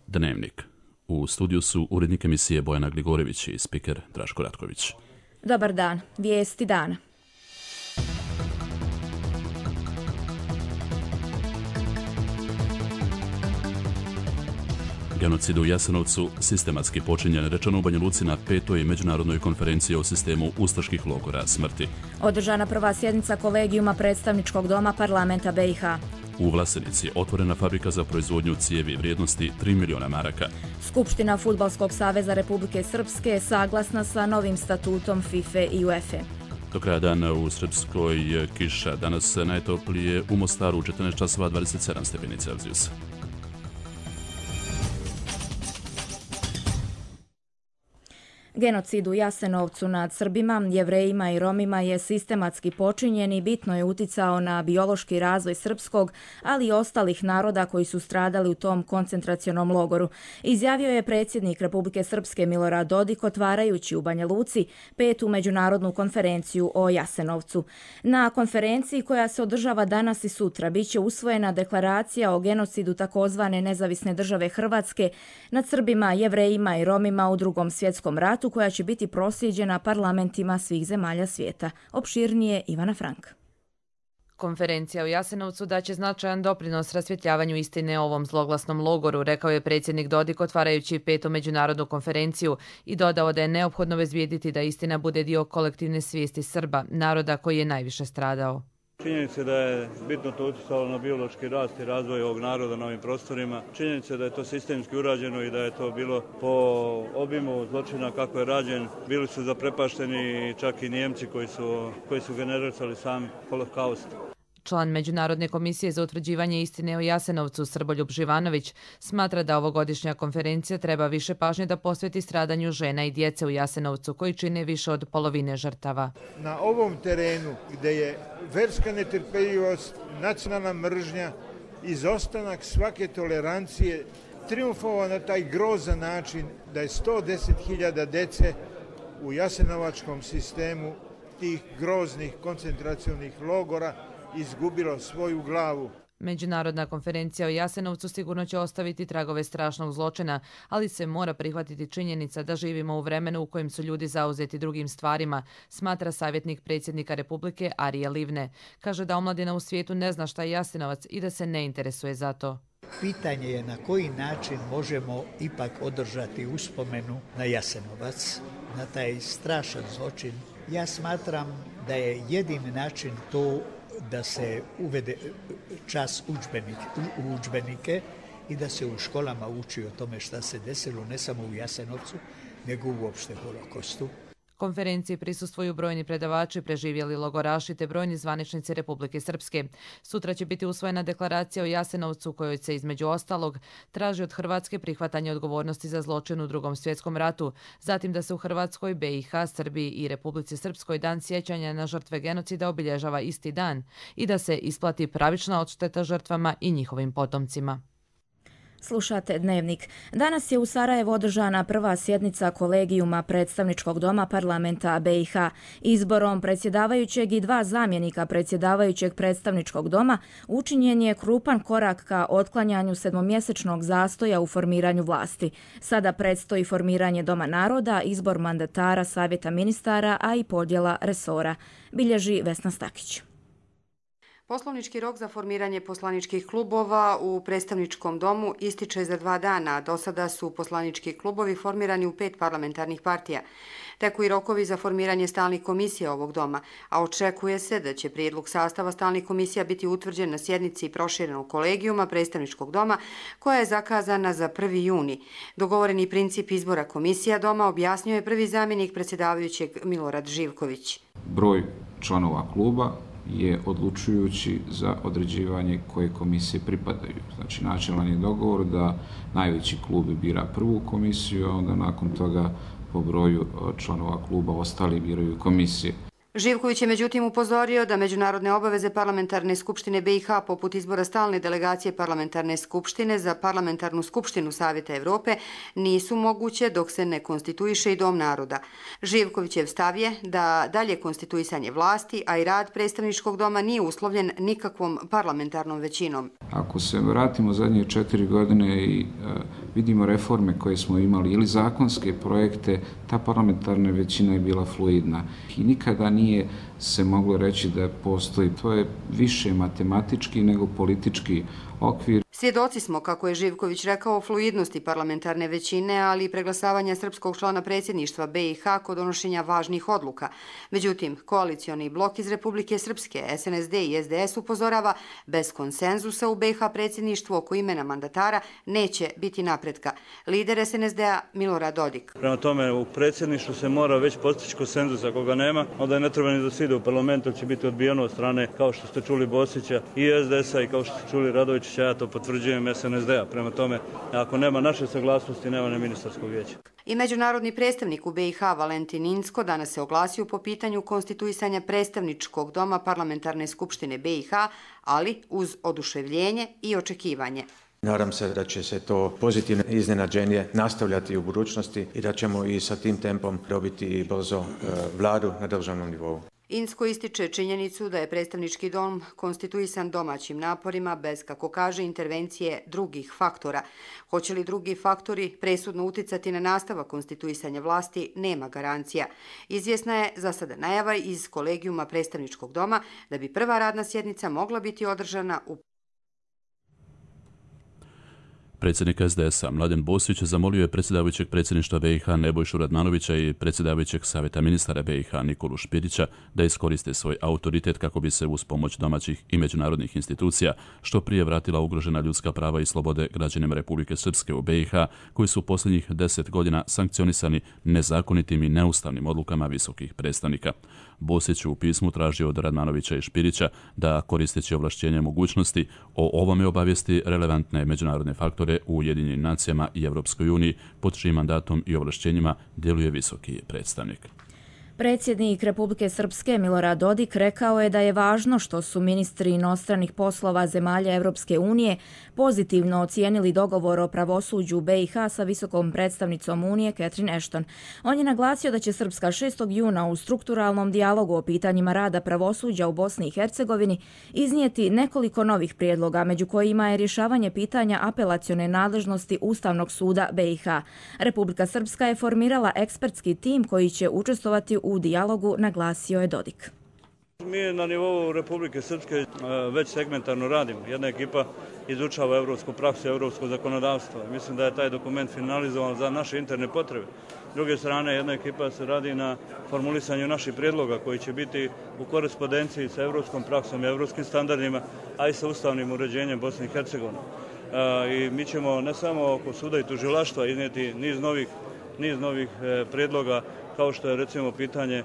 Dnevnik. U studiju su urednik emisije Bojana Gligorević i spiker Draško Ratković. Dobar dan. Vijesti dana. Genocid u Jasenovcu sistematski počinjen, rečeno u Banja Luci na 5. međunarodnoj konferenciji o sistemu ustaških logora smrti. Održana prva sjednica kolegijuma predstavničkog doma parlamenta BiH. U Vlasenici otvorena fabrika za proizvodnju cijevi vrijednosti 3 miliona maraka. Skupština Fudbalskog saveza Republike Srpske saglasna sa novim statutom FIFA i UEFA. Do kraja dana u Srpskoj kiša, danas najtoplije u Mostaru 14 časova 27 stepeni Celzijusa. Genocid u Jasenovcu nad Srbima, Jevrejima i Romima je sistematski počinjen i bitno je uticao na biološki razvoj srpskog, ali i ostalih naroda koji su stradali u tom koncentracionom logoru. Izjavio je predsjednik Republike Srpske Milorad Dodik otvarajući u Banja Luci 5. međunarodnu konferenciju o Jasenovcu. Na konferenciji koja se održava danas i sutra biće usvojena deklaracija o genocidu takozvane nezavisne države Hrvatske nad Srbima, Jevrejima i Romima u Drugom svjetskom ratu, koja će biti proslijeđena parlamentima svih zemalja svijeta. Opširnije Ivana Frank. Konferencija u Jasenovcu daće značajan doprinos rasvjetljavanju istine o ovom zloglasnom logoru, rekao je predsjednik Dodik otvarajući 5. međunarodnu konferenciju i dodao da je neophodno obezbijediti da istina bude dio kolektivne svijesti Srba, naroda koji je najviše stradao. Činjenica da je bitno to utjecalo na biološki rast i razvoj ovog naroda na ovim prostorima. Činjenica da je to sistemski urađeno i da je to bilo po obimu zločina kako je rađen. Bili su zaprepašteni čak i Nijemci koji su generirali sam holokaust. Član Međunarodne komisije za utvrđivanje istine o Jasenovcu Srboljub Živanović smatra da ovogodišnja konferencija treba više pažnje da posveti stradanju žena i djece u Jasenovcu koji čine više od polovine žrtava. Na ovom terenu gdje je verska netrpeljivost, nacionalna mržnja, izostanak svake tolerancije, triumfovao na taj grozan način da je 110.000 dece u jasenovačkom sistemu tih groznih koncentracionih logora izgubilo svoju glavu. Međunarodna konferencija o Jasenovcu sigurno će ostaviti tragove strašnog zločina, ali se mora prihvatiti činjenica da živimo u vremenu u kojem su ljudi zauzeti drugim stvarima, smatra savjetnik predsjednika Republike Arije Livne. Kaže da omladina u svijetu ne zna šta je Jasenovac i da se ne interesuje za to. Pitanje je na koji način možemo ipak održati uspomenu na Jasenovac, na taj strašan zločin. Ja smatram da je jedini način to da se uvede čas u udžbenike i da se u školama uči o tome šta se desilo ne samo u Jasenovcu, nego uopšte Holokostu. Konferenciji prisustvuju brojni predavači, preživjeli logoraši te brojni zvaničnici Republike Srpske. Sutra će biti usvojena deklaracija o Jasenovcu kojoj se između ostalog traži od Hrvatske prihvatanje odgovornosti za zločin u Drugom svjetskom ratu, zatim da se u Hrvatskoj, BiH, Srbiji i Republici Srpskoj dan sjećanja na žrtve genocida obilježava isti dan i da se isplati pravična odšteta žrtvama i njihovim potomcima. Slušate Dnevnik. Danas je u Sarajevu održana prva sjednica kolegijuma predstavničkog doma parlamenta BiH. Izborom predsjedavajućeg i 2 zamjenika predsjedavajućeg predstavničkog doma učinjen je krupan korak ka otklanjanju 7-mjesečnog zastoja u formiranju vlasti. Sada predstoji formiranje Doma naroda, izbor mandatara Savjeta ministara, a i podjela resora, bilježi Vesna Stakić. Poslovnički rok za formiranje poslaničkih klubova u predstavničkom domu ističe za 2 dana. Do sada su poslanički klubovi formirani u 5 parlamentarnih partija. Teku i rokovi za formiranje stalnih komisija ovog doma, a očekuje se da će prijedlog sastava stalnih komisija biti utvrđen na sjednici proširenog kolegijuma predstavničkog doma koja je zakazana za 1. juni. Dogovoreni princip izbora komisija doma objasnio je prvi zamjenik predsjedavajućeg Milorad Živković. Broj članova kluba je odlučujući za određivanje koje komisije pripadaju. Znači, načelan je dogovor da najveći klub bira prvu komisiju, a onda nakon toga po broju članova kluba ostali biraju komisije. Živković je međutim upozorio da međunarodne obaveze Parlamentarne skupštine BiH poput izbora stalne delegacije Parlamentarne skupštine za Parlamentarnu skupštinu Savjeta Evrope nisu moguće dok se ne konstituiše i Dom naroda. Živkovićev stav je da dalje konstituisanje vlasti, a i rad predstavničkog doma nije uslovljen nikakvom parlamentarnom većinom. Ako se vratimo zadnje 4 godine i vidimo reforme koje smo imali ili zakonske projekte, ta parlamentarna većina je bila fluidna i nikada nije se moglo reći da postoji. To je više matematički nego politički okvir. Svjedoci smo, kako je Živković rekao, fluidnosti parlamentarne većine, ali i preglasavanja srpskog člana predsjedništva BiH kod donošenja važnih odluka. Međutim, koalicioni blok iz Republike Srpske, SNSD i SDS upozorava, bez konsenzusa u BiH predsjedništvu oko imena mandatara neće biti napretka. Lider SNSD-a Milorad Dodik. Prema tome, u predsjedništvu se mora već postići konsenzus. Ako ga nema, onda ne treba ni da se ide u parlamentu, će biti odbijeno od strane, kao što ste čuli, Bosića i SDS-a i kao što ste čuli Radovića, ja to potvrđujem, SNSD-a. Prema tome, ako nema naše saglasnosti, nema ni ministarskog vijeća. I međunarodni predstavnik u BiH Valentin Incko danas se oglasio po pitanju konstituisanja predstavničkog doma Parlamentarne skupštine BiH, ali uz oduševljenje i očekivanje. Nadam se da će se to pozitivno iznenađenje nastavljati u budućnosti i da ćemo i sa tim tempom dobiti brzo vladu na državnom nivou. Incko ističe činjenicu da je predstavnički dom konstituisan domaćim naporima bez, kako kaže, intervencije drugih faktora. Hoće li drugi faktori presudno uticati na nastavak konstituisanja vlasti, nema garancija. Izvjesna je za sada najava iz kolegijuma predstavničkog doma da bi prva radna sjednica mogla biti održana u Predsjednik SDS-a Mladen Bosić zamolio je predsjedavajućeg predsjedništva BiH Nebojšu Radmanovića i predsjedavajućeg savjeta ministara BiH Nikolu Špirića da iskoriste svoj autoritet kako bi se uz pomoć domaćih i međunarodnih institucija što prije vratila ugrožena ljudska prava i slobode građanima Republike Srpske u BiH, koji su posljednjih 10 godina sankcionisani nezakonitim i neustavnim odlukama visokih predstavnika. Bosić u pismu tražio od Radmanovića i Špirića da, koristeći ovlašćenje mogućnosti, o ovome obavijesti relevantne međunarodne faktore u Ujedinjenim nacijama i Evropskoj uniji, pod čijim mandatom i ovlašćenjima djeluje visoki predstavnik. Predsjednik Republike Srpske Milorad Dodik rekao je da je važno što su ministri inostranih poslova zemalja Evropske unije pozitivno ocijenili dogovor o pravosuđu BiH sa visokom predstavnicom Unije Catherine Ashton. On je naglasio da će Srpska 6. juna u strukturalnom dijalogu o pitanjima rada pravosuđa u Bosni i Hercegovini iznijeti nekoliko novih prijedloga, među kojima je rješavanje pitanja apelacione nadležnosti Ustavnog suda BiH. Republika Srpska je formirala ekspertski tim koji će učestvovati u dijalogu, naglasio je Dodik. Mi na nivou Republike Srpske već segmentarno radimo. Jedna ekipa izučava evropsku praksu i evropsko zakonodavstvo. Mislim da je taj dokument finalizovan za naše interne potrebe. S druge strane, jedna ekipa se radi na formulisanju naših prijedloga koji će biti u korespondenciji sa evropskom praksom i evropskim standardima, a i sa ustavnim uređenjem Bosne i Hercegovine. I mi ćemo ne samo oko suda i tužilaštva iznijeti niz novih prijedloga, kao što je recimo pitanje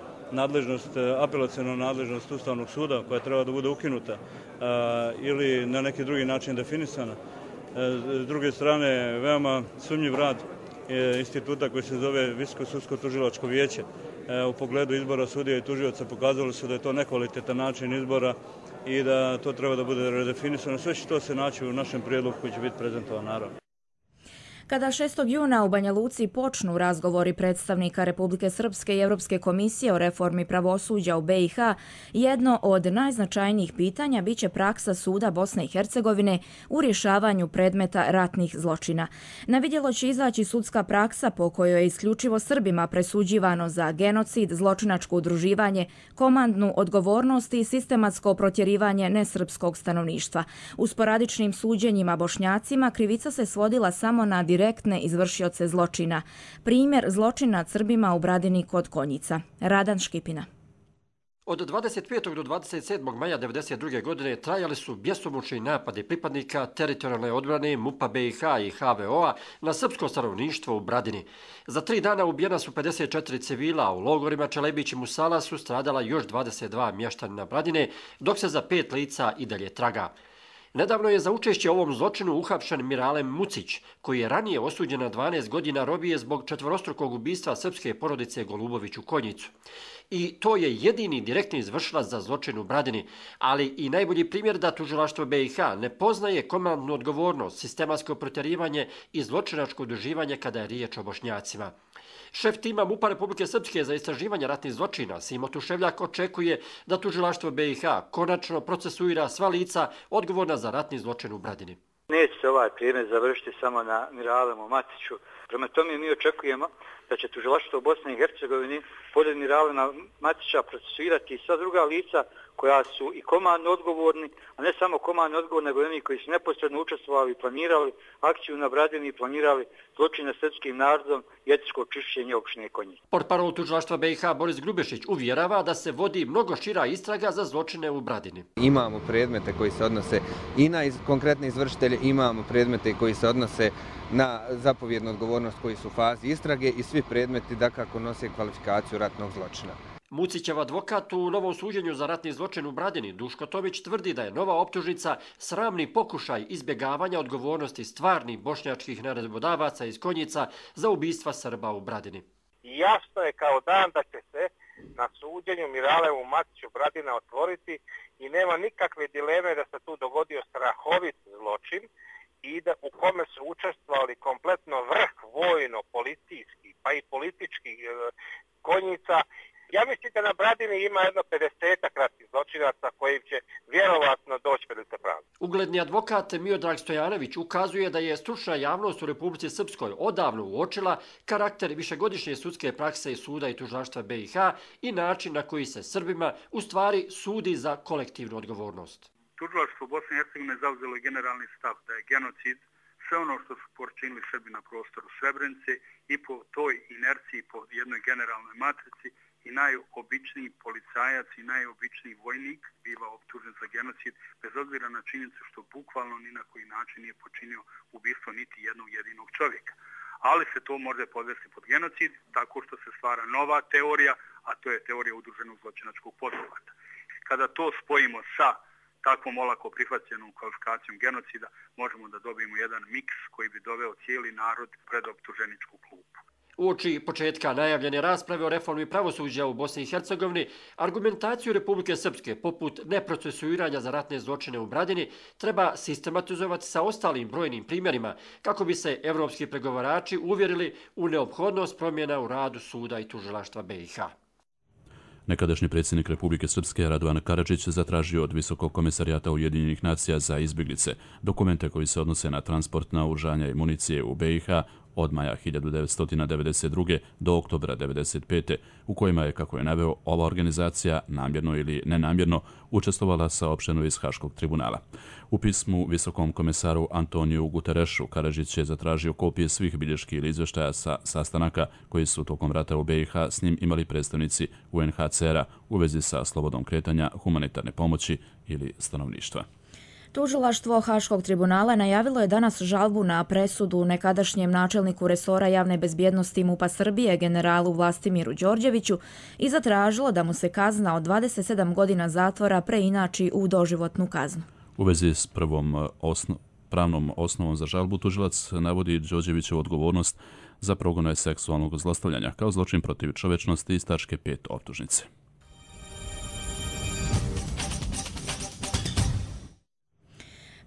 apelaciona nadležnost Ustavnog suda koja treba da bude ukinuta ili na neki drugi način definisana. S druge strane, veoma sumnjiv rad instituta koji se zove Visoko sudsko tužilačko vijeće u pogledu izbora sudija i tužioca pokazalo se da je to nekvalitetan način izbora i da to treba da bude redefinisano. Sve će to se naći u našem prijedlogu koji će biti prezentovan naravno. Kada 6. juna u Banja Luci počnu razgovori predstavnika Republike Srpske i Europske komisije o reformi pravosuđa u BiH, jedno od najznačajnijih pitanja biće praksa suda Bosne i Hercegovine u rješavanju predmeta ratnih zločina. Na vidjelo će izaći sudska praksa po kojoj je isključivo Srbima presuđivano za genocid, zločinačko udruživanje, komandnu odgovornost i sistematsko protjerivanje nesrpskog stanovništva. U sporadičnim suđenjima Bošnjacima krivica se svodila samo na direktne izvršioce zločina. Primjer zločina nad Srbima u Bradini kod Konjica. Radan Škipina. Od 25. do 27. maja 1992. godine trajali su bjesomučni napadi pripadnika teritorijalne odbrane MUP-a BiH i HVO-a na srpsko stanovništvo u Bradini. Za 3 dana ubijena su 54 civila, a u logorima Čelebić i Musala su stradala još 22 mještanina Bradine, dok se za 5 lica i dalje traga. Nedavno je za učešće u ovom zločinu uhapšen Miralem Mucić, koji je ranije osuđen na 12 godina robije zbog četvorostrukog ubistva srpske porodice Golubović u Konjicu. I to je jedini direktni izvršilac za zločin u Bradini, ali i najbolji primjer da tužilaštvo BiH ne poznaje komandnu odgovornost, sistematsko protjerivanje i zločinačko udruživanje kada je riječ o Bošnjacima. Šef tima MUP-a Republike Srpske za istraživanje ratnih zločina Simo Tuševljak očekuje da tužilaštvo BiH konačno procesuira sva lica odgovorna za ratni zločin u Bradini. Neće se ovaj predmet završiti samo na Miralemu Matiću. Prema tome mi očekujemo da će tužilaštvo u Bosni i Hercegovini pored Miralema Matića procesuirati i sva druga lica koja su i komandno odgovorni, a ne samo komandno odgovorni, nego i oni koji su neposredno učestvovali i planirali akciju na Bradini i planirali zločin nad srpskim narodom i etničko čišćenje opštine Konjic. Portparol tužilaštva BiH Boris Grubešić uvjerava da se vodi mnogo šira istraga za zločine u Bradini. Imamo predmete koji se odnose i na konkretne izvršitelje, imamo predmete koji se odnose na zapovjednu odgovornost koji su u fazi istrage i svi predmeti dakako nose kvalifikaciju ratnog zločina. Mucićev advokat u novom suđenju za ratni zločin u Bradini, Duško Tomić, tvrdi da je nova optužnica sramni pokušaj izbjegavanja odgovornosti stvarnih bošnjačkih naredbodavaca iz Konjica za ubistva Srba u Bradini. Jasno je kao dan da će se na suđenju Miralemu Matiću Bradina otvoriti i nema nikakve dileme da se tu dogodio strahovit zločin i da u kome su učestvovali kompletno vrh vojno-policijski pa i političkih Konjica. Ja mislim da na Bradini ima jedno 50 ratnih zločinaca koji će vjerovatno doći pred pravdu. Ugledni advokat Miodrag Stojanović ukazuje da je stručna javnost u Republici Srpskoj odavno uočila karakter višegodišnje sudske prakse suda i tužilaštva BiH i način na koji se Srbima u stvari sudi za kolektivnu odgovornost. Tužilaštvo Bosne i Hercegovine zauzelo je generalni stav da je genocid sve ono što su počinili Srbi na prostoru Srebrenice i po toj inerciji, po jednoj generalnoj matrici i najobičniji policajac i najobičniji vojnik biva optužen za genocid, bez obzira na činjenicu što bukvalno ni na koji način nije počinio ubistvo niti jednog jedinog čovjeka. Ali se to može podvesti pod genocid tako što se stvara nova teorija, a to je teorija udruženog zločinačkog pothvata. Kada to spojimo sa takvom olako prihvaćenom kvalifikacijom genocida, možemo da dobijemo jedan miks koji bi doveo cijeli narod pred optuženičku klupu. Uoči početka najavljene rasprave o reformi pravosuđa u Bosni i Hercegovini, argumentaciju Republike Srpske poput neprocesuiranja za ratne zločine u Bradini treba sistematizovati sa ostalim brojnim primjerima kako bi se evropski pregovarači uvjerili u neophodnost promjena u radu suda i tužilaštva BiH. Nekadašnji predsjednik Republike Srpske Radovan Karadžić zatražio od Visokog komisarijata Ujedinjenih nacija za izbjeglice dokumente koji se odnose na transport naoružanja i municije u BiH od maja 1992. do oktobra 1995. u kojima je, kako je naveo, ova organizacija namjerno ili nenamjerno učestvovala saopšteno iz Haškog tribunala. U pismu Visokom komisaru Antoniju Guterešu Karadžić je zatražio kopije svih bilješki ili izvještaja sa sastanaka koji su tokom rata u BiH s njim imali predstavnici UNHCR-a u vezi sa slobodom kretanja, humanitarne pomoći ili stanovništva. Tužilaštvo Haškog tribunala najavilo je danas žalbu na presudu nekadašnjem načelniku resora javne bezbjednosti MUP-a Srbije generalu Vlastimiru Đorđeviću i zatražilo da mu se kazna od 27 godina zatvora preinači u doživotnu kaznu. U vezi s prvom pravnom osnovom za žalbu tužilac navodi Đorđevićevu odgovornost za progone seksualnog zlostavljanja kao zločin protiv čovečnosti iz tačke 5 optužnice.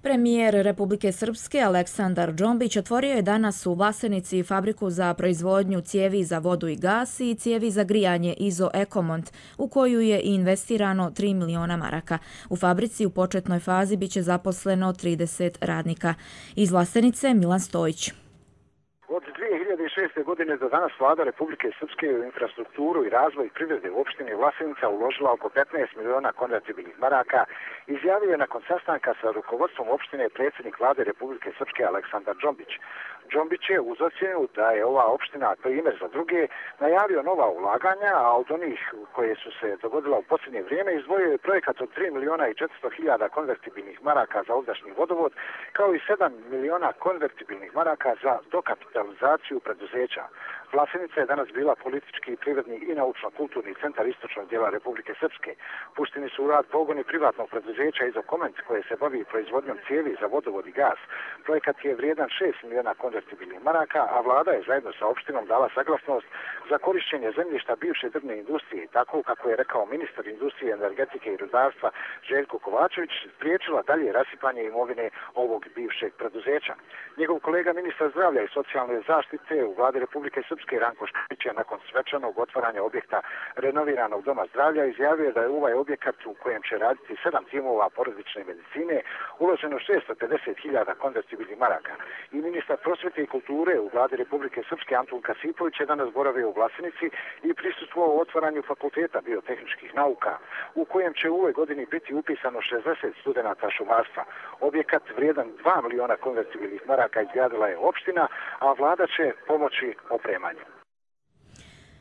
Premijer Republike Srpske Aleksandar Džombić otvorio je danas u Vlasenici fabriku za proizvodnju cijevi za vodu i gas i cijevi za grijanje Izo Ekomont, u koju je investirano 3 miliona maraka. U fabrici u početnoj fazi biće zaposleno 30 radnika. Iz Vlasenice Milan Stojić. Od 2006. godine do danas vlada Republike Srpske u infrastrukturu i razvoj privrede u opštini Vlasenica uložila oko 15 miliona konvertibilnih maraka, izjavio je nakon sastanka sa rukovodstvom opštine predsjednik vlade Republike Srpske Aleksandar Džombić. Džombić je uz ocjenu da je ova opština primjer za druge najavio nova ulaganja, a od onih koje su se dogodila u posljednje vrijeme izdvojio je projekat od 3 miliona i 400 hiljada konvertibilnih maraka za ovdašnji vodovod, kao i 7 miliona konvertibilnih maraka za dokapitalizaciju preduzeća. Vlasenica je danas bila politički, privredni i naučno-kulturni centar istočnog dijela Republike Srpske. Pušteni su u rad pogoni privatnog preduzeća Izokoment koje se bavi proizvodnjom cijevi za vodovod i gas. Projekat je vrijedan 6 miliona konvertibilnih maraka, a vlada je zajedno sa opštinom dala saglasnost za korišćenje zemljišta bivše drvne industrije, tako kako je rekao ministar industrije, energetike i rudarstva Željko Kovačević, spriječila dalje rasipanje imovine ovog bivšeg preduzeća. Njegov kolega ministar zdravlja i socijalne zaštite u vladi Republike Srpske Ranko Špić je nakon svečanog otvaranja objekta renoviranog doma zdravlja izjavio da je u ovaj objekat u kojem će raditi 7 timova porodične medicine uloženo 650.000 konvertibilnih maraka. I ministar prosvjete i kulture u vladi Republike Srpske Antun Kasipović je danas boravio u Vlasenici i prisustvovao otvaranju fakulteta biotehničkih nauka, u kojem će u ovoj godini biti upisano 60 studenata šumarstva. Objekat vrijedan 2 miliona konvertibilnih maraka izgradila je opština, a vlada će pomoći opremanju.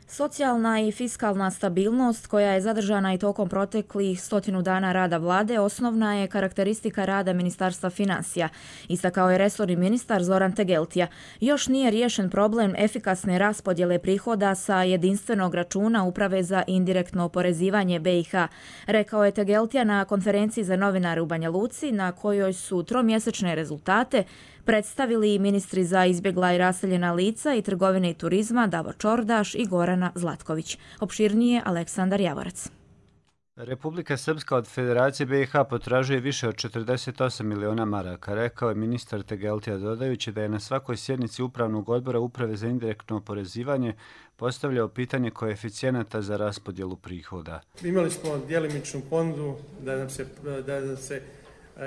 Socijalna i fiskalna stabilnost koja je zadržana i tokom proteklih 100 dana rada vlade osnovna je karakteristika rada Ministarstva financija, istakao je resorni ministar Zoran Tegeltija. Još nije riješen problem efikasne raspodjele prihoda sa jedinstvenog računa Uprave za indirektno oporezivanje BiH, rekao je Tegeltija na konferenciji za novinare u Banja Luci, na kojoj su tromjesečne rezultate predstavili ministri za izbjegla i raseljena lica i trgovine i turizma Davor Čordaš i Gorana Zlatković. Opširnije Aleksandar Javorac. Republika Srpska od Federacije BiH potražuje više od 48 miliona maraka, rekao je ministar Tegeltija, dodajući da je na svakoj sjednici Upravnog odbora Uprave za indirektno oporezivanje postavljao pitanje koeficijenata za raspodjelu prihoda. Imali smo djelimičnu ponudu da nam se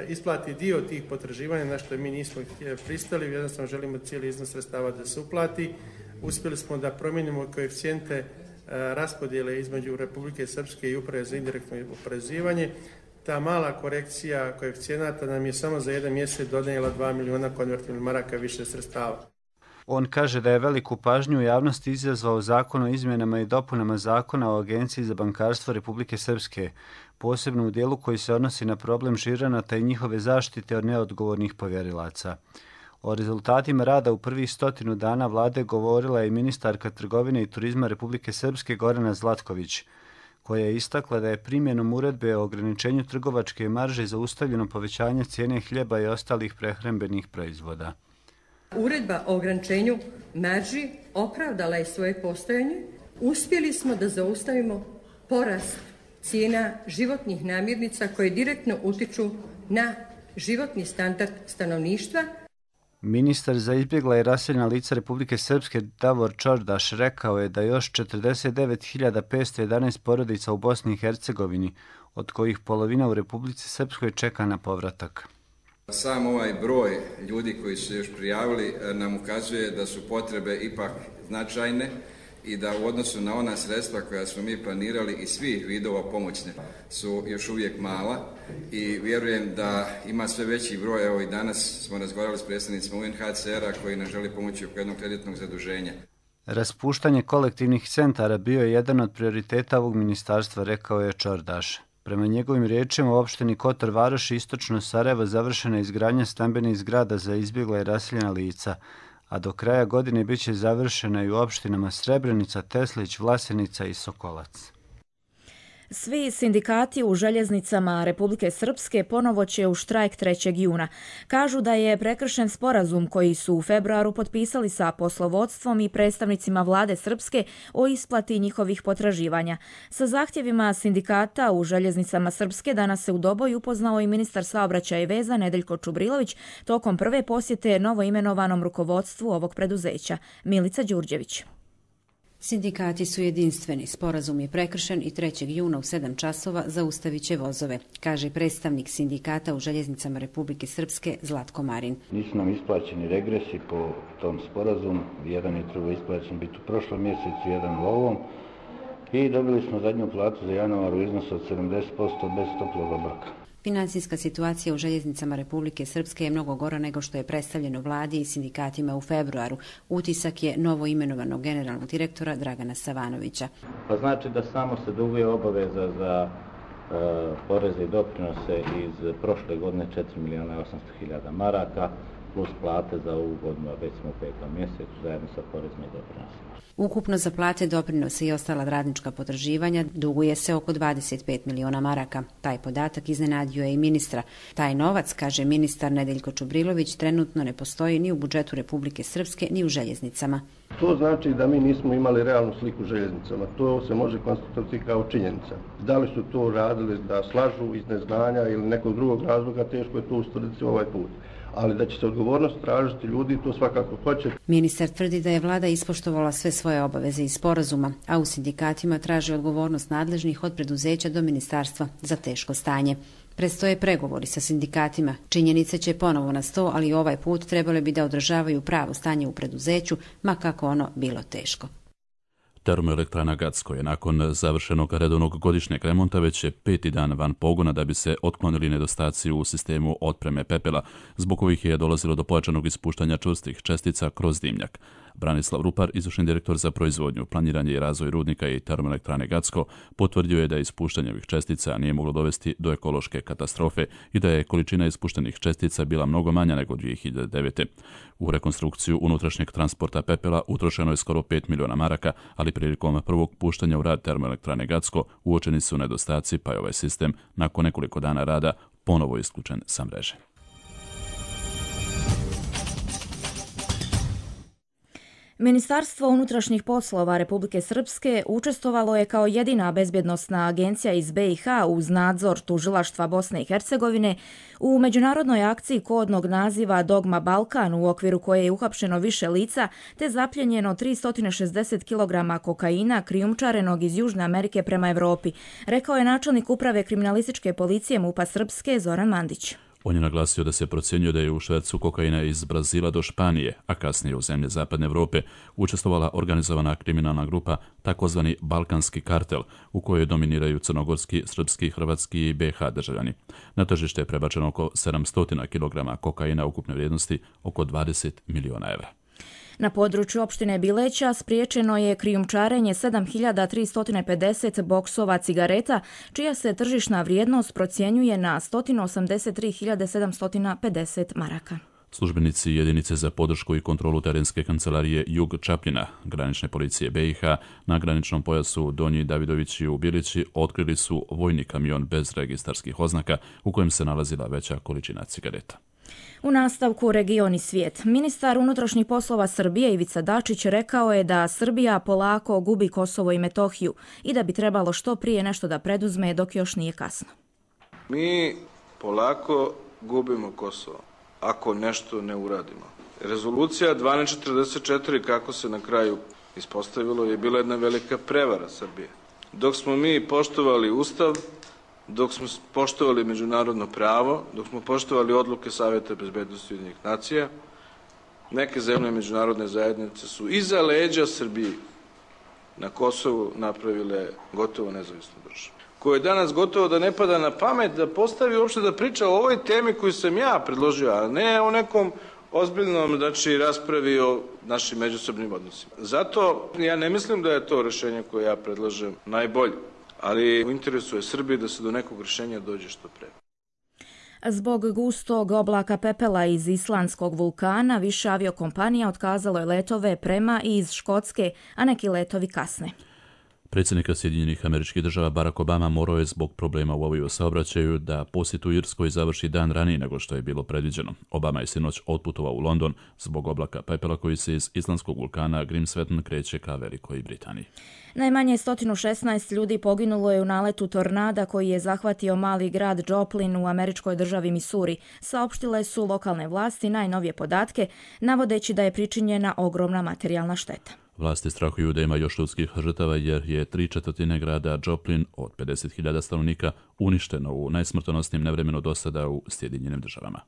isplati dio tih potraživanja, na što mi nismo pristali, jednostavno želimo cijeli iznos sredstava da se uplati. Uspjeli smo da promijenimo koeficijente raspodjele između Republike Srpske i Uprave za indirektno oporezivanje. Ta mala korekcija koeficijenata nam je samo za jedan mjesec donijela 2 miliona konvertibilnih maraka više sredstava. On kaže da je veliku pažnju u javnosti izazvao zakon o izmjenama i dopunama zakona o Agenciji za bankarstvo Republike Srpske, posebno u dijelu koji se odnosi na problem žiranata i njihove zaštite od neodgovornih povjerilaca. O rezultatima rada u prvih 100 dana vlade govorila je i ministarka trgovine i turizma Republike Srpske Gorana Zlatković, koja je istakla da je primjenom uredbe o ograničenju trgovačke marže zaustavljeno povećanje cijene hljeba i ostalih prehrambenih proizvoda. Uredba o ograničenju marži opravdala je svoje postojanje. Uspjeli smo da zaustavimo porast cijena životnih namirnica koje direktno utiču na životni standard stanovništva. Ministar za izbjegla i raseljena lica Republike Srpske Davor Čordaš rekao je da još 49.511 porodica u Bosni i Hercegovini, od kojih polovina u Republici Srpskoj čeka na povratak. Sam ovaj broj ljudi koji su se još prijavili nam ukazuje da su potrebe ipak značajne i da u odnosu na ona sredstva koja smo mi planirali i svih vidova pomoćne su još uvijek mala i vjerujem da ima sve veći broj. Evo i danas smo razgovarali s predstavnicima UNHCR-a koji nam želi pomoći oko jednog kreditnog zaduženja. Raspuštanje kolektivnih centara bio je jedan od prioriteta ovog ministarstva, rekao je Čordaš. Prema njegovim riječima, u opštini Kotor Varoš i istočno Sarajevo završena je izgradnja stambenih zgrada za izbjegla i raseljena lica, a do kraja godine bit će završena i u opštinama Srebrenica, Teslić, Vlasenica i Sokolac. Svi sindikati u željeznicama Republike Srpske ponovo će u štrajk 3. juna. Kažu da je prekršen sporazum koji su u februaru potpisali sa poslovodstvom i predstavnicima vlade Srpske o isplati njihovih potraživanja. Sa zahtjevima sindikata u željeznicama Srpske danas se u Doboju upoznao i ministar saobraćaja i veza Nedeljko Čubrilović tokom prve posjete novoimenovanom rukovodstvu ovog preduzeća. Milica Đurđević. Sindikati su jedinstveni. Sporazum je prekršen i 3. juna u 7 časova zaustavit će vozove, kaže predstavnik sindikata u željeznicama Republike Srpske Zlatko Marin. Nisu nam isplaćeni regresi po tom sporazumu. Jedan je trebao isplaćen biti u prošlom mjesecu, jedan u ovom. I dobili smo zadnju platu za januar u iznosu od 70% bez toplog obroka. Financijska situacija u željeznicama Republike Srpske je mnogo gora nego što je predstavljeno vladi i sindikatima u februaru. Utisak je novo imenovanog generalnog direktora Dragana Savanovića. Pa znači da samo se duguje obaveza za poreze i doprinose iz prošle godine 4.800.000 maraka. plus plate za ovu godinu, a već smo u 5. mjesecu zajedno sa porezima i doprinosima. Ukupno za plate, doprinose i ostala radnička potraživanja duguje se oko 25 miliona maraka. Taj podatak iznenadio je i ministra. Taj novac, kaže ministar Nedeljko Čubrilović, trenutno ne postoji ni u budžetu Republike Srpske, ni u željeznicama. To znači da mi nismo imali realnu sliku željeznicama. To se može konstatovati kao činjenica. Da li su to radili da slažu iz neznanja ili nekog drugog razloga, teško je to ustvrditi ovaj put. Ali da će se odgovornost tražiti ljudi, to svakako hoće. Ministar tvrdi da je vlada ispoštovala sve svoje obaveze iz sporazuma, a u sindikatima traži odgovornost nadležnih od preduzeća do ministarstva za teško stanje. Predstoje pregovori sa sindikatima. Činjenice će ponovo na sto, ali ovaj put trebale bi da održavaju pravo stanje u preduzeću, ma kako ono bilo teško. Termoelektrana Gacko je nakon završenog redovnog godišnjeg remonta već je 5. dan van pogona da bi se otklonili nedostaci u sistemu otpreme pepela, zbog kojih je dolazilo do pojačanog ispuštanja čvrstih čestica kroz dimnjak. Branislav Rupar, izvršni direktor za proizvodnju, planiranje i razvoj rudnika i termoelektrane Gacko, potvrdio je da ispuštanje ovih čestica nije moglo dovesti do ekološke katastrofe i da je količina ispuštenih čestica bila mnogo manja nego 2009. U rekonstrukciju unutrašnjeg transporta pepela utrošeno je skoro 5 miliona maraka, ali prilikom prvog puštanja u rad termoelektrane Gacko uočeni su nedostaci, pa je ovaj sistem nakon nekoliko dana rada ponovo isključen sa mreže. Ministarstvo unutrašnjih poslova Republike Srpske učestvovalo je kao jedina bezbjednosna agencija iz BiH uz nadzor tužilaštva Bosne i Hercegovine u međunarodnoj akciji kodnog naziva Dogma Balkan, u okviru koje je uhapšeno više lica te zapljenjeno 360 kg kokaina krijumčarenog iz Južne Amerike prema Evropi, rekao je načelnik uprave kriminalističke policije MUP-a Srpske Zoran Mandić. On je naglasio da se procjenjuje da je u švercu kokaina iz Brazila do Španije, a kasnije u zemlje Zapadne Evrope, učestvovala organizovana kriminalna grupa, takozvani Balkanski kartel, u kojoj dominiraju crnogorski, srpski, hrvatski i BiH državljani. Na tržište je prebačeno oko 700 kg kokaina ukupne vrijednosti oko 20 miliona evra. Na području opštine Bileća spriječeno je krijumčarenje 7350 boksova cigareta, čija se tržišna vrijednost procjenjuje na 183.750 maraka. Službenici jedinice za podršku i kontrolu terenske kancelarije Jug Čapljina, granične policije BiH, na graničnom pojasu Donji Davidovići u Bilići otkrili su vojni kamion bez registarskih oznaka u kojem se nalazila veća količina cigareta. U nastavku Region i svijet. Ministar unutrašnjih poslova Srbije Ivica Dačić rekao je da Srbija polako gubi Kosovo i Metohiju i da bi trebalo što prije nešto da preduzme dok još nije kasno. Mi polako gubimo Kosovo ako nešto ne uradimo. Rezolucija 1244, kako se na kraju ispostavilo, je bila jedna velika prevara Srbije. Dok smo mi poštovali Ustav, dok smo poštovali međunarodno pravo, dok smo poštovali odluke Saveta bezbednosti Ujedinjenih nacija, neke zemlje međunarodne zajednice su iza leđa Srbiji na Kosovu napravile gotovo nezavisnu državu, koje danas gotovo da ne pada na pamet da postavi uopšte da priča o ovoj temi koju sam ja predložio, a ne o nekom ozbiljnom raspravi o našim međusobnim odnosima. Zato ja ne mislim da je to rešenje koje ja predlažem najbolje, ali u interesu je Srbije da se do nekog rešenja dođe što pre. Zbog gustog oblaka pepela iz islandskog vulkana, više aviokompanija otkazalo je letove prema i iz Škotske, a neki letovi kasne. Predsjednika Sjedinjenih Američkih Država Barack Obama morao je zbog problema u aviosaobraćaju da posjet u Irskoj završi dan ranije nego što je bilo predviđeno. Obama je sinoć otputovao u London zbog oblaka pepela koji se iz islandskog vulkana Grímsvötn kreće ka Velikoj Britaniji. Najmanje 116 ljudi poginulo je u naletu tornada koji je zahvatio mali grad Joplin u američkoj državi Missouri. Saopštile su lokalne vlasti najnovije podatke, navodeći da je pričinjena ogromna materijalna šteta. Vlasti strahuju da ima još ljudskih žrtava jer je 3/4 grada Joplin od 50.000 stanovnika uništeno u najsmrtonosnijim nevremenu do sada u Sjedinjenim Državama.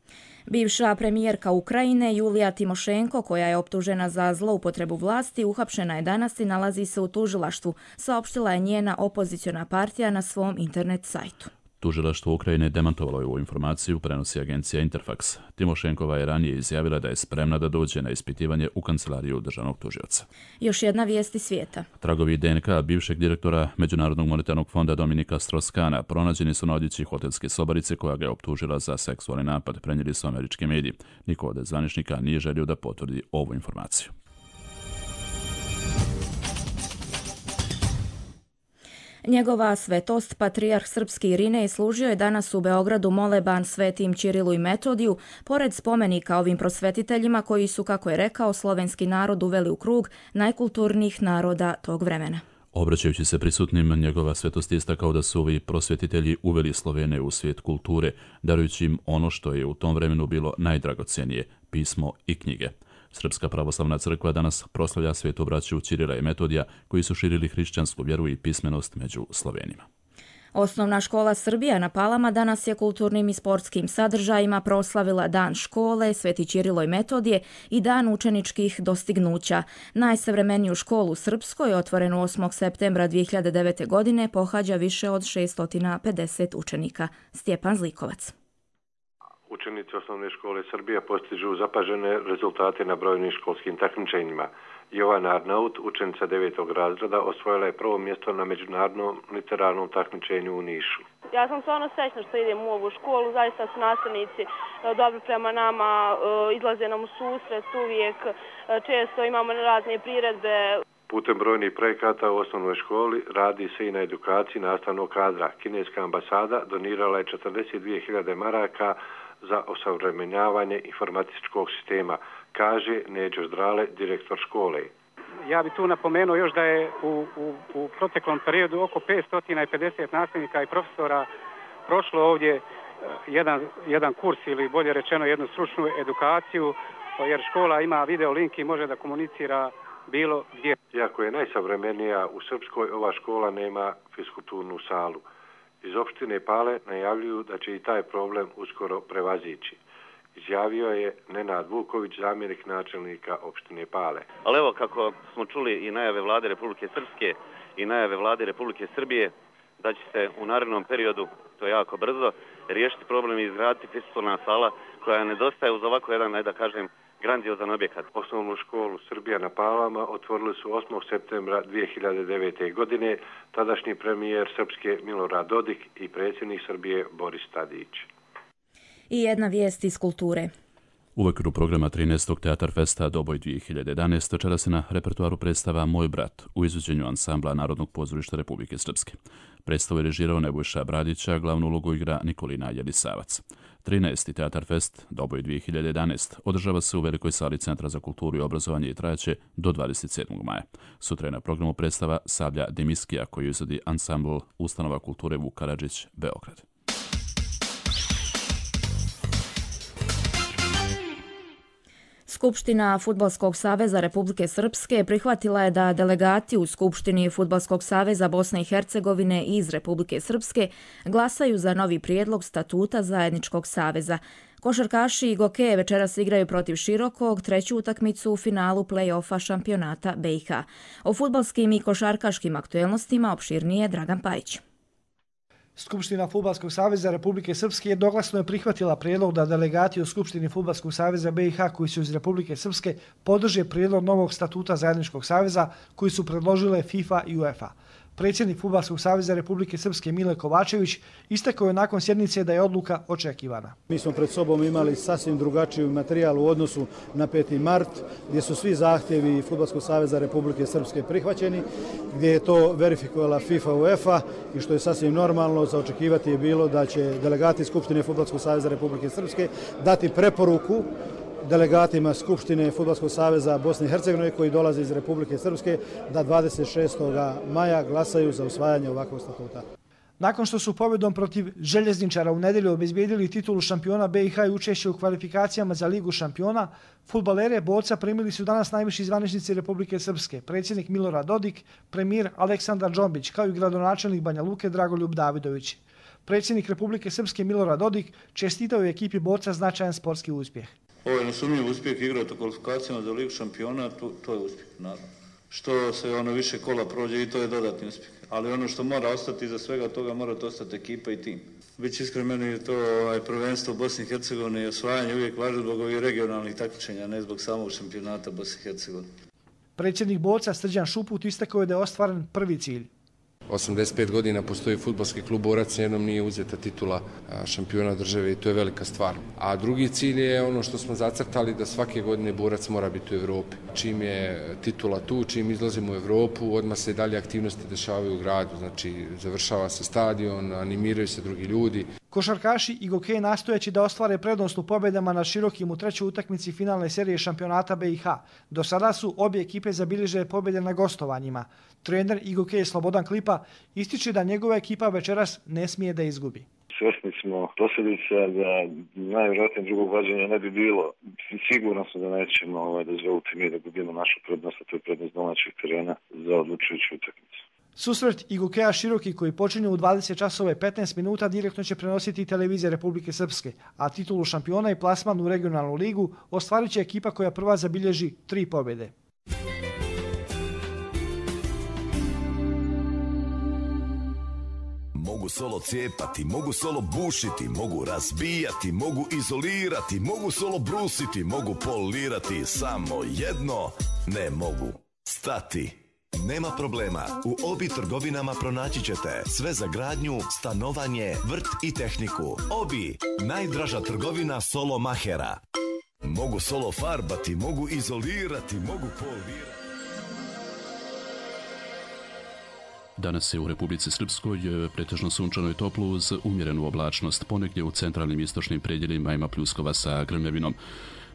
Bivša premijerka Ukrajine Julija Timošenko, koja je optužena za zloupotrebu vlasti, uhapšena je danas i nalazi se u tužilaštvu, saopštila je njena opoziciona partija na svom internet sajtu. Tužilaštvo Ukrajine demantovalo je ovu informaciju, prenosi agencija Interfax. Timošenkova je ranije izjavila da je spremna da dođe na ispitivanje u kancelariju državnog tužioca. Još jedna vijest iz svijeta. Tragovi DNK bivšeg direktora Međunarodnog monetarnog fonda Dominika Strauss-Kahna pronađeni su na odjeći hotelske sobarice koja ga je optužila za seksualni napad, prenijeli su američki mediji. Niko od zvaničnika nije želio da potvrdi ovu informaciju. Njegova svetost, patrijarh srpski Irinej, služio je danas u Beogradu moleban Svetim Ćirilu i Metodiju, pored spomenika ovim prosvetiteljima koji su, kako je rekao, slovenski narod uveli u krug najkulturnijih naroda tog vremena. Obraćajući se prisutnim, njegova svetost je istakao da su ovi prosvetitelji uveli Slovene u svijet kulture, darujući im ono što je u tom vremenu bilo najdragocenije, pismo i knjige. Srpska pravoslavna crkva danas proslavlja svetu braću Ćirila i Metodija koji su širili hrišćansku vjeru i pismenost među Slovenima. Osnovna škola Srbija na Palama danas je kulturnim i sportskim sadržajima proslavila Dan škole, Sveti Ćirilo i Metodije i Dan učeničkih dostignuća. Najsavremeniju školu u Srpskoj, otvorenu 8. septembra 2009. godine, pohađa više od 650 učenika. Stjepan Zlikovac. Učenici osnovne škole Srbija postižu zapažene rezultate na brojnim školskim takmičenjima. Jovana Arnaut, učenica 9. razreda, osvojila je prvo mjesto na međunarodnom literarnom takmičenju u Nišu. Ja sam stvarno srećna što idem u ovu školu, zaista su nastavnici dobri prema nama, izlaze nam u susret uvijek, često imamo razne priredbe. Putem brojnih projekata u osnovnoj školi radi se i na edukaciji nastavnog kadra. Kineska ambasada donirala je 42.000 maraka za osavremenjavanje informatičkog sistema, kaže Neđo Zdrale, direktor škole. Ja bih tu napomenuo još da je u proteklom periodu oko 550 nastavnika i profesora prošlo ovdje jedan kurs ili bolje rečeno jednu stručnu edukaciju, jer škola ima video link i može da komunicira bilo gdje. Iako je najsavremenija u Srpskoj, ova škola nema fiskulturnu salu. Iz opštine Pale najavljuju da će i taj problem uskoro prevazići. Izjavio je Nenad Vuković, zamjenik načelnika opštine Pale. Ali evo, kako smo čuli i najave vlade Republike Srpske i najave vlade Republike Srbije, da će se u narednom periodu, to je jako brzo, riješiti problem i izgraditi fiskulturna sala koja nedostaje uz ovako jedan, da kažem, grandiozan objekat. Osnovnu školu Srbija na Palama otvorili su 8. septembra 2009. godine tadašnji premijer Srpske Milorad Dodik i predsjednik Srbije Boris Tadić. I jedna vijest iz kulture. U okviru programa 13. Teatar Festa Doboj 2011. čera se na repertuaru predstava Moj brat u izvođenju ansambla Narodnog pozorišta Republike Srpske. Predstavu je režirao Nebojša Bradića, glavnu ulogu igra Nikolina Jelisavac. 13. Teatar Fest Doboj 2011. održava se u velikoj sali Centra za kulturu i obrazovanje i trajaće do 27. maja. Sutra je na programu predstava Sablja Demiskija koju izvodi ansambl Ustanova kulture Vuk Karadžić, Beograd. Skupština Fudbalskog saveza Republike Srpske prihvatila je da delegati u Skupštini Fudbalskog saveza Bosne i Hercegovine iz Republike Srpske glasaju za novi prijedlog statuta zajedničkog saveza. Košarkaši i Gokeje večeras igraju protiv Širokog treću utakmicu u finalu play-offa šampionata BiH. O fudbalskim i košarkaškim aktuelnostima opširnije Dragan Pajić. Skupština Fudbalskog saveza Republike Srpske jednoglasno je prihvatila prijedlog da delegati u Skupštini Fudbalskog saveza BiH koji su iz Republike Srpske podrže prijedlog novog statuta zajedničkog saveza koji su predložile FIFA i UEFA. Predsjednik Fudbalskog saveza Republike Srpske Mile Kovačević istakao je nakon sjednice da je odluka očekivana. Mi smo pred sobom imali sasvim drugačiju materijal u odnosu na 5. mart, gdje su svi zahtjevi Fudbalskog saveza Republike Srpske prihvaćeni, gdje je to verifikovala FIFA i UEFA i što je sasvim normalno za očekivati je bilo da će delegati Skupštine Fudbalskog saveza Republike Srpske dati preporuku delegatima Skupštine Fudbalskog saveza Bosne i Hercegovine koji dolaze iz Republike Srpske da 26. maja glasaju za usvajanje ovakvog statuta. Nakon što su pobjedom protiv Željezničara u nedjelju obezbijedili titulu šampiona BiH i učešće u kvalifikacijama za Ligu šampiona, fudbalere Boca primili su danas najviši zvaničnici Republike Srpske, predsjednik Milorad Dodik, premijer Aleksandar Džombić, kao i gradonačelnik Banja Luke Dragoljub Davidović. Predsjednik Republike Srpske Milorad Dodik čestitao je ekipi Boca značajan sportski uspjeh. Ovo je nesumnjiv uspjeh igrati u kvalifikacijama za Ligu šampiona, to je uspjeh, naravno. što se više kola prođe i to je dodatni uspjeh. Ali ono što mora ostati iza svega toga, mora ostati ekipa i tim. Biće iskreno, meni je to prvenstvo Bosne i Hercegovine i osvajanje uvijek važno zbog ovih regionalnih takmičenja, ne zbog samog šampionata Bosne i Hercegovine. Predsjednik Boca Srđan Šuput istakao je da je ostvaren prvi cilj. 85 godina postoji fudbalski klub Borac, jednom nije uzeta titula šampiona države i to je velika stvar. A drugi cilj je ono što smo zacrtali, da svake godine Borac mora biti u Evropi. Čim je titula tu, čim izlazimo u Evropu, odmah se dalje aktivnosti dešavaju u gradu. Znači, završava se stadion, animiraju se drugi ljudi. Košarkaši i Gokej nastojeći da ostvare prednost u pobjedama nad Širokim u trećoj utakmici finalne serije šampionata BiH. Do sada su obje ekipe zabilježile pobjede na gostovanjima. Trener i Gokej Slobodan Klipa ističe da njegova ekipa večeras ne smije da izgubi. Svjesni smo posljedica da najvjerojatnije drugog vađenja ne bi bilo. Sigurno smo da nećemo dozvoliti mi da gubimo našu prednost, a to je prednost domaćeg terena za odlučujuću utakmicu. Susret i Gokeja Široki koji počinju u 20 časova i 15 minuta direktno će prenositi televizija Republike Srpske, a titulu šampiona i plasman u regionalnu ligu ostvarit će ekipa koja prva zabilježi 3 pobjede. Mogu solo cijepati, mogu solo bušiti, mogu razbijati, mogu izolirati, mogu solo brusiti, mogu polirati, samo jedno ne mogu stati. Nema problema, u Obi trgovinama pronaći ćete sve za gradnju, stanovanje, vrt i tehniku. Obi, najdraža trgovina solo mahera. Mogu solo farbati, mogu izolirati, mogu polirati. Danas je u Republici Srpskoj pretežno sunčano i toplo uz umjerenu oblačnost. Ponegdje u centralnim istočnim predjelima ima pljuskova sa grmljavinom.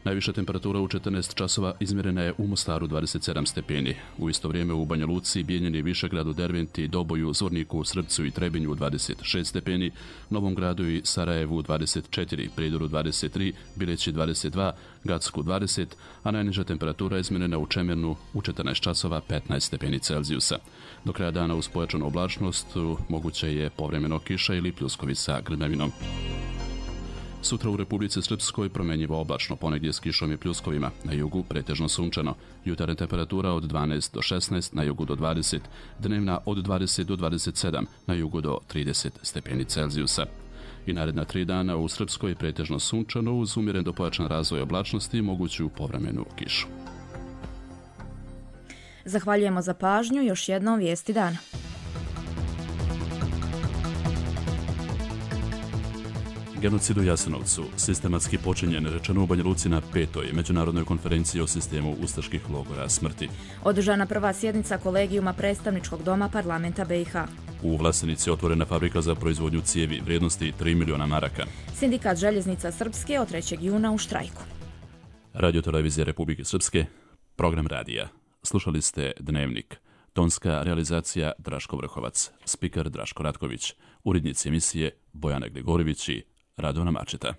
Najviša temperatura u 14 časova izmjerena je u Mostaru 27 stepeni. U isto vrijeme u Banja Luci, Bijeljini, Višegradu, Derventi, Doboju, Zvorniku, Srpcu i Trebinju 26 stepeni, Novom Gradu i Sarajevu 24, Prijedoru 23, Bileći 22, Gacku 20, a najniža temperatura izmjerena u Čemernu u 14 časova 15 stepeni Celzijusa. Do kraja dana uz pojačanu oblačnost moguće je povremeno kiša ili pljuskovi sa grmljavinom. Sutra u Republici Srpskoj promjenjivo oblačno, ponegdje s kišom i pljuskovima, na jugu pretežno sunčano. Jutarnja temperatura od 12 do 16, na jugu do 20, dnevna od 20 do 27, na jugu do 30 stepeni Celzijusa. I naredna 3 dana u Srpskoj pretežno sunčano uz umjeren do pojačan razvoj oblačnosti i moguću povremenu kišu. Zahvaljujemo za pažnju, još jednom vijesti dana. Genocid u Jasenovcu, sistematski počinjen, rečeno u Banja Luci na 5. Međunarodnoj konferenciji o sistemu ustaških logora smrti. Održana prva sjednica kolegijuma predstavničkog doma parlamenta BiH. U Vlasenici otvorena fabrika za proizvodnju cijevi vrijednosti 3 miliona maraka. Sindikat željeznica Srpske od 3. juna u štrajku. Radio-televizija Republike Srpske, program radija. Slušali ste Dnevnik. Tonska realizacija Draško Vrhovac, spiker Draško Ratković, urednici emisije Bojana Gligorivić i Radona Mačeta.